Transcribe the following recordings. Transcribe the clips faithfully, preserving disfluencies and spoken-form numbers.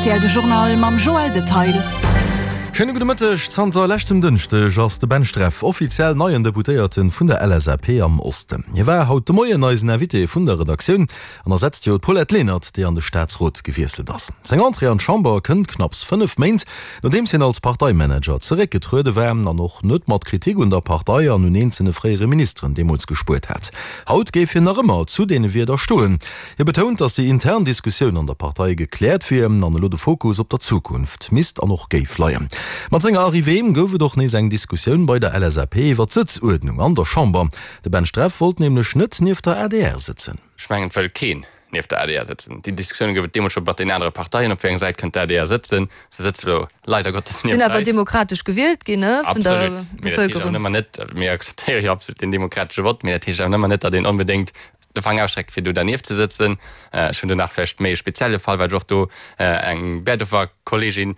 rtl de Journal mam Joël Detail. Schéine gudde Mëtteg. Zanter leschtem Dënschdeg ass de Ben Streff offiziell neien Deputéierte vun der LSAP am Osten. Hie war haut de Moien eisen Invité vun der Redaktioun an ersetzt jo d'Paulette Lenert, déi an de Staatsrot gewiesselt ass. Seng Entrée an d'Chamber kënnt knapps fënnef Méint, nodeems hien als Parteimanager zeréckgetruede war an och net mat Kritik un der Partei an un eenzele fréiere Ministeren deemools gespuert hat. Haut géif hien nach ëmmer zu deene Wierder stoen. Hie betount, datt déi intern Diskussioun an der Partei gekläert wier an elo de Fokus op der Zukunft misst an och géif leien. Mat senger Arrivée gouf et och nees eng Diskussioun bei der LSAP iwwer d'Sëtzuerdnung an der Chamber. De Ben Streff wollt nämlech net nieft der adr sëtzen. Ech mengen, et wëll keen nieft der adr sëtzen. Déi Diskussioune gouf et deemools scho mat den anere Parteien, op wéi eng Säit kënnt d'ADR sëtzen. Se sëtze lo leider Gottes nieft eis. Sinn awer demokratesch gewielt ginn, ne, vun der Absolut. Mee dat heescht awer Bevëlkerung. nëmmer net, mir akzeptéiere jo absolut den demokratesche Vott, mee dat heescht awer nëmmer net, datt een onbedéngt de Faang ausstreckt, fir do dernieft ze sëtzen. Ech hunn do nach vläicht méi e spezielle Fall, well ech och do eng Bäertreffer Kolleegin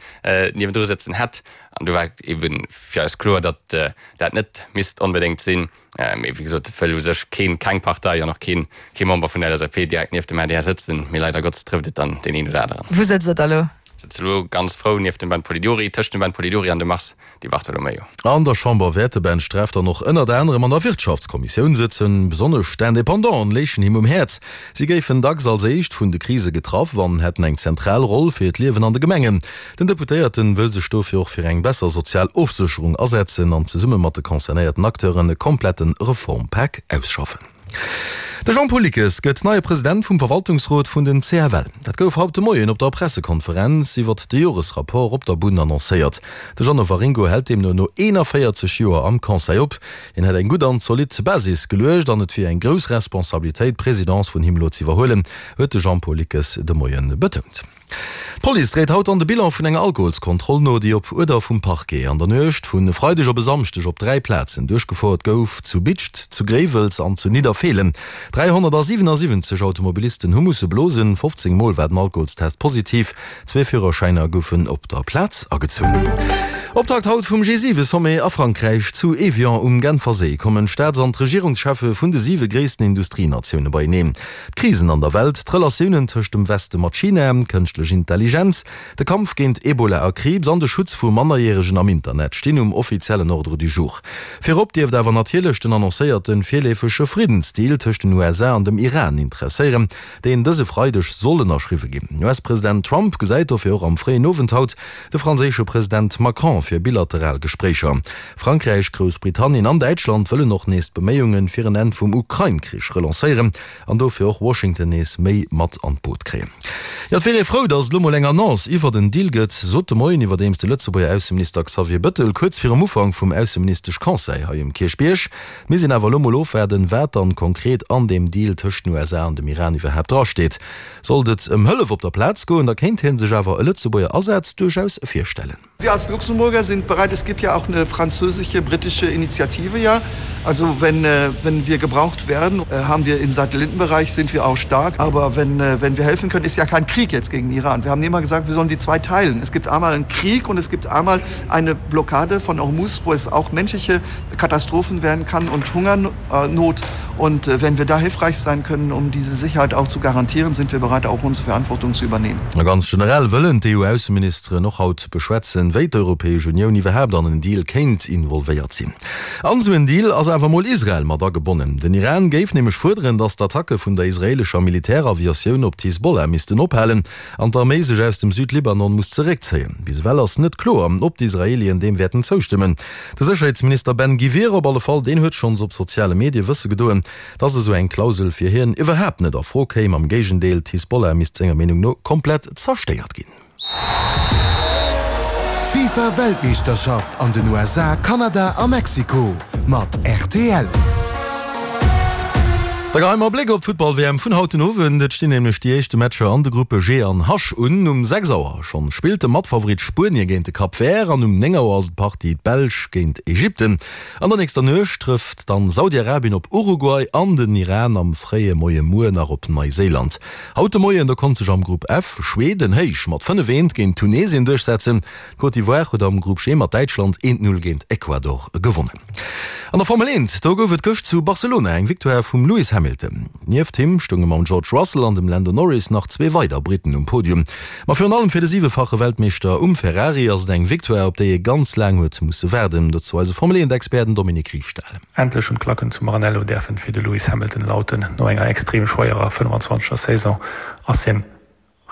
niewendru sëtzen hätt. An do war et ebe fir eis kloer, datt dat net misst onbedéngt sinn. Mee wéi gesot, et wëll u sech keen, keng Partei an och keen, kee Member vun der LSAP direkt nieft dem adr sëtzen. Mee leider Gottes trëfft et dann deen een oder aneren. Wou sëtzt Der da elo? Sëtze lo ganz frou nieft dem Ben Polidori, tëscht dem Ben Polidori an dem Mars Di Bartolomeo. An der Chamber wäert de Ben Streff dann och ënnert anerem an der Wirtschaftskommissioun sëtzen. Besonnesch d'Independanten léichen him um Häerz. Si géifen dacks als éischt vun de Krise getraff an hätten eng zentral Roll fir d'Liewen an de Gemengen. Den Deputéierten wëll sech dofir och fir eng besser sozial Ofsécherung asetzen an zesumme mat de concernéierten Acteuren e komplette Reformpak ausschaffen. De Jean-Paul Lickes gëtt neie President vum Verwaltungsrot vun den CFL. Dat gouf haut de Moien op der Pressekonferenz iwwert de Joresrapport op der Bunn annoncéiert. De Jeannot Waringo hält deemno no eenanvéierzeg Joer am Conseil op. Hien hätt eng gutt an zolidd Basis geluecht an et wier eng grouss Responsabilitéit, d'Presidence vun him elo z'iwwerhuelen, huet de Jean-Paul Lickes de Moie betount. D'Police dréit haut an de Bilan vun enger Alkoholskontroll no, déi op Uerder vum Parquet an der Nuecht vun e Freideg op e Samschdeg op dräi Plazen duerchgefouert gouf, zu Bidscht, zu Gréiwels an zu Nidderfeelen. dräihonnertsiwenasiwwenzeg Automobilisten hu musse blosen, fofzéng Mol war den Alkoholstest positiv, zwee Führerschäiner goufen op der Plaz agezunn. Optakt haut vum G siwe Sommet a Frankräich. Zu Evian um Genferséi kommen d'Staats an d'Regierungscheffe vun de siwe gréissten Industrienatioune beieneen. D'Krisen an der Welt, d'Relatiounen tëscht dem Weste mat China, kënschtlech Intelligenz, de Kampf géint Ebola a Kriibs an de Schutz vu Mannerjäregen am Internet stinn um offiziellen Ordre du jour. Virop dierft awer natierlech den annoncéierte virleefege Friddensdeal tëscht den U S A an dem Iran interesséieren, deen dëse Freideg soll ënnerschriwwe ginn. U S-President Trump gesäit dofir och am fréien Owend haut de franséische President Macron fir bilateral Gespréicher. Frankräich, Groussbritannien an Däitschland wëllen och nees d'Beméiunge fir en Enn vum Ukrain-Krich relancéieren an dofir och Washington nees méi mat an d'Boot kréien. Jo, et wier ee frou, datt et elo mol eng Annonce iwwert en Deal gëtt, sot de Moien iwwerdeems de Lëtzebuerger Ausseminister Xavier Bettel kuerz virum Ufank vum Ausseministesch-Conseil hei um Kierchbierg. Mir sinn awer elo mol ofwaarden, wat dann konkret an deem Deal tëscht den U S A an dem Iran iwwerhaapt drasteet. Sollt et ëm Hëllef op der Plaz goen, da kéint hie sech awer e Lëtzebuerger Asaz duerchaus virstellen. Wir als Luxemburger sind bereit, es gibt ja auch eine französische, britische Initiative ja. Also wenn, äh, wenn wir gebraucht werden, äh, haben wir im Satellitenbereich sind wir auch stark. Aber wenn, äh, wenn wir helfen können, ist ja kein Krieg jetzt gegen Iran. Wir haben immer gesagt, wir sollen die zwei teilen. Es gibt einmal einen Krieg und es gibt einmal eine Blockade von Hormuz, wo es auch menschliche Katastrophen werden kann und Hungernot. Und wenn wir da hilfreich sein können, um diese Sicherheit auch zu garantieren, sind wir bereit, auch unsere Verantwortung zu übernehmen. Ganz generell wëllen d'E U-Ausseministeren och haut beschwätzen, wéi d'Europäesch Unioun iwwerhaapt an en Deal kéint involvéiert sinn. An esou en Deal ass awer mol Israel mat agebonnen. Den Iran géif nämlech fuerderen, datt d'Attacke vun der israeelescher Militäraviatioun op d'Hisbollah missten ophalen an d'Arméi sech aus dem Südlibanon muss zeréckzéien. Bis ewell ass net kloer, ob d'Israeelien deem wäerten zoustëmmen. De Sécherheetsminister Ben Gvir op alle Fall, deen huet schonns op soziale Medie wësse gedoen, datt esou eng Klausel fir hien iwwerhaapt net a Fro kéim. Am Géigendeel, d'Hisbollah misst senger Meenung no komplett zerstéiert ginn. D'FIFA-Weltmeeschterschaft an den U S A, Kanada a Mexiko mat R T L. Da geheie mer e Bléck op d'Futtball-W M vun haut den Owend. Et stinn nämlech déi éischte Matcher an de Gruppe G an H un. Um sechs Auer schonn spillt de Matfavorit Spuenie géint de Cap Vert an um néng Auer ass d'Partie d'Belsch géint Ägypten. An der nächster Nuecht trëfft dann Saudi-Arabien op Uruguay an den Iran am fréie Moie muer nach op Neiséiland. Haut de Moien da konnt sech am Grupp F Schweden héich mat fënnef eent géint Tunesien duerchsetzen. D'Côte d'Ivoire huet am Grupp G mat Däitschland eent Null géint Ecuador gewonnen. An der Formel eent, do gouf et gëscht zu Barcelona eng Victoire vum Lewis Hamilton. Hamilton. Nieft him stounge mam George Russell an dem Lando Norris nach zwee weider Britten um Podium. Ma virun allem fir de siwefache Weltmeeschter um Ferrari ass et eng Victoire, op déi e ganz laang huet musse waarden. Dozou eise Formel eent Expert, den Dominique Riefstahl. Endlech hunn d'Klacken zu Maranello däerfen fir de Lewis Hamilton lauten. No enger extrem schwéierer fënnwanzwanzeger Saison ass hien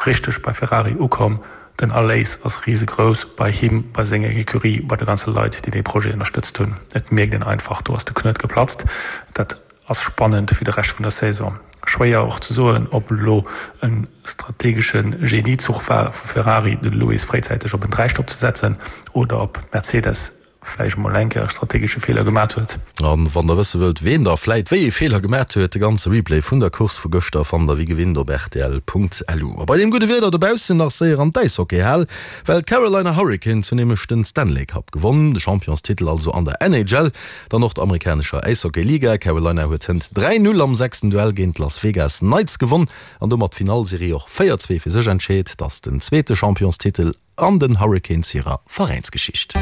richteg bei Ferrari ukomm. Den Erléis ass risegrouss bei him, bei senger Ecurie, bei de ganze Leit, déi dee Projet ënnerstëtzt hunn. Et mierkt een einfach, do ass de Knuet geplatzt. Dat ass spannend fir de Rescht vun der Saison. Schwéier och ze soen, ob elo e strategesche Geniezuch war vu Ferrari, de Lewis fréizäiteg op en Dräistopp ze setzen, oder ob Mercedes vläicht emol eng Kéier e strategesche Feeler gemat huet. A wann der wësse wëllt, ween da vläit wéi ee Feeler gemat huet, de ganze Replay vun der Course vu gëschter fannt der wéi gewinnt op rtl.lu. A bei deem gudde Wieder dobaussen nach séier an d'Äishockeyhal, well d'Carolina Hurricanes hunn nämlech den Stanley Cup gewonn, de Championstitel also an der N H L, der nordamerikanescher Äishockey-Liga. Carolina huet hënt dräi Null am sechsten Duell géint d'Las Vegas Knights gewonn an domat d'Finallserie och véier zwee fir sech entscheet. Et ass den zweete Championstitel an den Hurricanes hirer Veräinsgeschicht.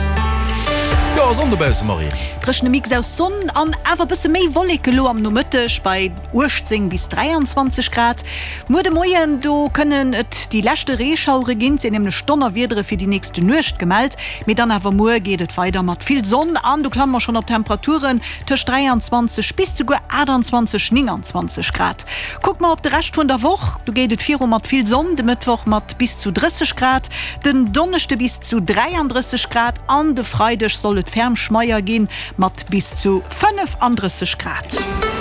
Jo, Sonn dobausse, Marie. Dréchene Mix aus Sonn an awer bësse méi Wolleke lo am Nomëtteg bei uechtzéng bis dräianzwanzeg Grad. Muer de Moien, do kënnen et déi leschte Reeschauere ginn, et sinn nämlech Donnerwiedere fir déi nächste Nuecht gemellt. Mee dann awer muer geet et weider mat vill Sonn an do klamme mer schonn op Temperaturen tëscht dräianzwanzeg bis souguer aachtanzwanzeg, nénganzwanzeg Grad. Kucke mer op de Rescht vun der Woch, do geet et viru mat vill Sonn, de Mëttwoch mat bis zu drësseg Grad, den Donneschde bis zu dräiandrësseg Grad an de Freideg soll et ferm schmeier ginn mat bis zu fënnefandrësseg Grad.